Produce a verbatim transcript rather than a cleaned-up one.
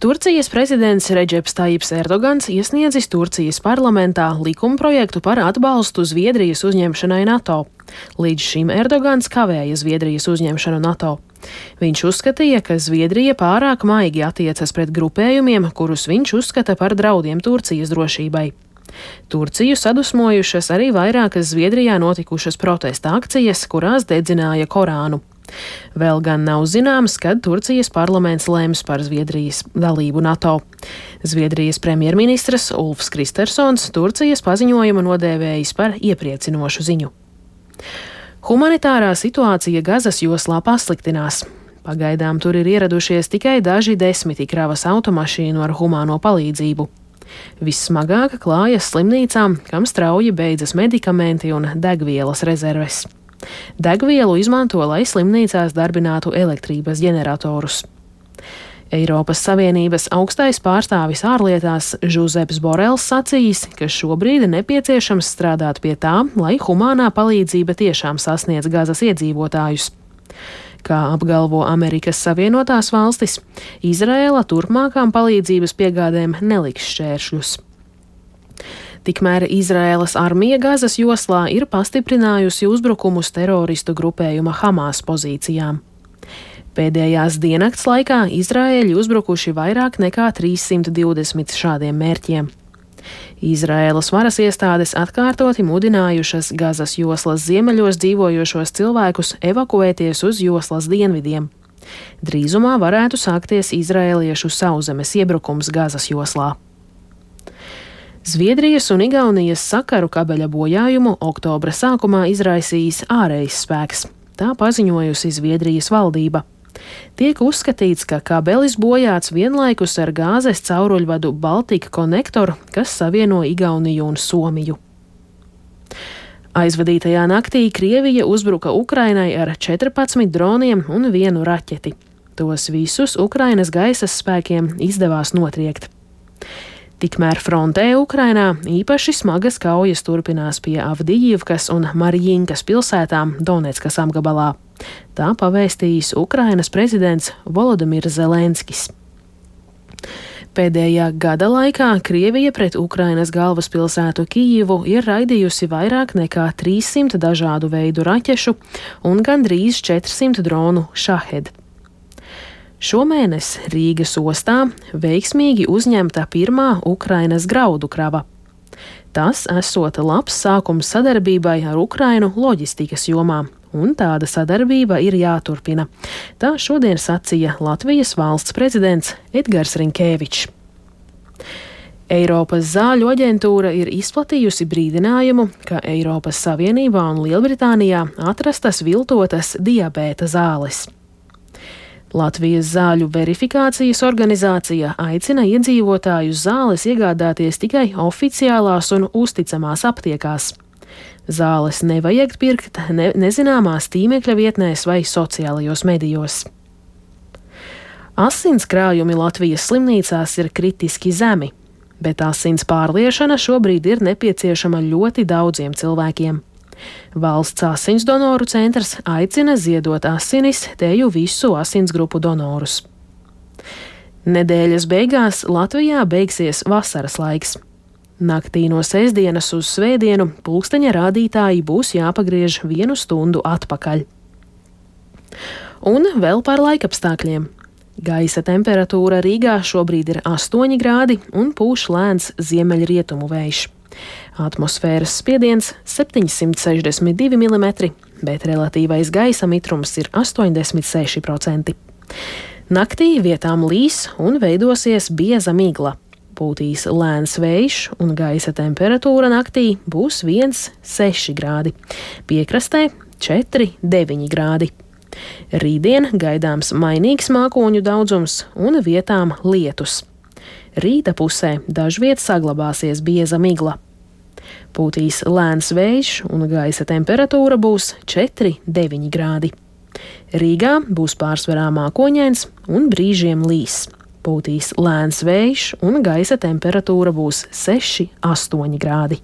Turcijas prezidents Redžeps Tajips Erdogans iesniedzis Turcijas parlamentā likumprojektu par atbalstu Zviedrijas uzņemšanai NATO. Līdz šim Erdogans kavēja Zviedrijas uzņemšanu NATO. Viņš uzskatīja, ka Zviedrija pārāk maigi attiecas pret grupējumiem, kurus viņš uzskata par draudiem Turcijas drošībai. Turciju sadusmojušas arī vairākas Zviedrijā notikušas protesta akcijas, kurās dedzināja Korānu. Vēl gan nav zināms, kad Turcijas parlaments lems par Zviedrijas dalību NATO. Zviedrijas premjerministrs Ulfs Kristersons Turcijas paziņojumu nodēvējis par iepriecinošu ziņu. Humanitārā situācija Gazas joslā pasliktinās. Pagaidām tur ir ieradušies tikai daži desmiti kravas automašīnu ar humāno palīdzību. Vissmagāk klājas slimnīcām, kam strauji beidzas medikamenti un degvielas rezerves. Degvielu izmanto, lai slimnīcās darbinātu elektrības ģeneratorus. Eiropas Savienības augstais pārstāvis ārlietās Žuzeps Borels sacījis, ka šobrīd nepieciešams strādāt pie tā, lai humānā palīdzība tiešām sasniedz Gazas iedzīvotājus. Kā apgalvo Amerikas Savienotās valstis, Izraēla turpmākām palīdzības piegādēm neliks šķēršļus. Tikmēr Izraēlas armija Gazas joslā ir pastiprinājusi uzbrukumus teroristu grupējuma Hamas pozīcijām. Pēdējās diennakts laikā Izraēļi uzbrukuši vairāk nekā trīssimt divdesmit šādiem mērķiem. Izraēlas varas iestādes atkārtoti mudinājušas Gazas joslas ziemeļos dzīvojošos cilvēkus evakuēties uz joslas dienvidiem. Drīzumā varētu sākties izraēliešu sauszemes iebrukums Gazas joslā. Zviedrijas un Igaunijas sakaru kabeļa bojājumu oktobra sākumā izraisījis ārējs spēks. Tā paziņojusi Zviedrijas valdība. Tiek uzskatīts, ka kabelis bojāts vienlaikus ar gāzes cauruļvadu Baltika Connector, kas savieno Igauniju un Somiju. Aizvadītajā naktī Krievija uzbruka Ukrainai ar četrpadsmit droniem un vienu raķeti. Tos visus Ukrainas gaisas spēkiem izdevās notriekt. Tikmēr frontē Ukrainā īpaši smagas kaujas turpinās pie Avdijivkas un Marijinkas pilsētām Doneckas apgabalā. Tā pavēstījis Ukrainas prezidents Volodimirs Zelenskis. Pēdējā gada laikā Krievija pret Ukrainas galvaspilsētu Kijivu ir raidījusi vairāk nekā trīssimt dažādu veidu raķešu un gandrīz četrsimt dronu Šahed. Šomēnes Rīgas ostā veiksmīgi uzņemta pirmā Ukrainas graudu krava. Tas esot labs sākums sadarbībai ar Ukrainu loģistikas jomā, un tāda sadarbība ir jāturpina. Tā šodien sacīja Latvijas valsts prezidents Edgars Rinkēvičs. Eiropas zāļu aģentūra ir izplatījusi brīdinājumu, ka Eiropas Savienībā un Lielbritānijā atrastas viltotas diabēta zāles. Latvijas zāļu verifikācijas organizācija aicina iedzīvotājus zāles iegādāties tikai oficiālās un uzticamās aptiekās. Zāles nevajag pirkt ne, nezināmās tīmekļa vietnēs vai sociālajos medijos. Asins krājumi Latvijas slimnīcās ir kritiski zemi, bet asins pārliešana šobrīd ir nepieciešama ļoti daudziem cilvēkiem. Valsts asins donoru centrs aicina ziedot asinis teju visu asinsgrupu donorus. Nedēļas beigās Latvijā beigsies vasaras laiks. Naktī no sestdienas uz svētdienu pulksteņa rādītāji būs jāpagriež vienu stundu atpakaļ. Un vēl par laikapstākļiem. Gaisa temperatūra Rīgā šobrīd ir astoņi grādi un pūš lēns ziemeļrietumu vējš. Atmosfēras spiediens septiņsimt sešdesmit divi milimetri, bet relatīvais gaisa mitrums ir astoņdesmit seši procenti. Naktī vietām līs un veidosies bieza migla. Pūtīs lēns vējš un gaisa temperatūra naktī būs viens seši grādi. Piekrastē četri deviņi grādi. Rītdien gaidāms mainīgs mākoņu daudzums un vietām lietus. Rīta pusē dažviet saglabāsies bieza migla. Pūtīs lēns vējš un gaisa temperatūra būs četri deviņi grādi. Rīgā būs pārsvarā mākoņains un brīžiem līs. Pūtīs lēns vējš un gaisa temperatūra būs seši astoņi grādi.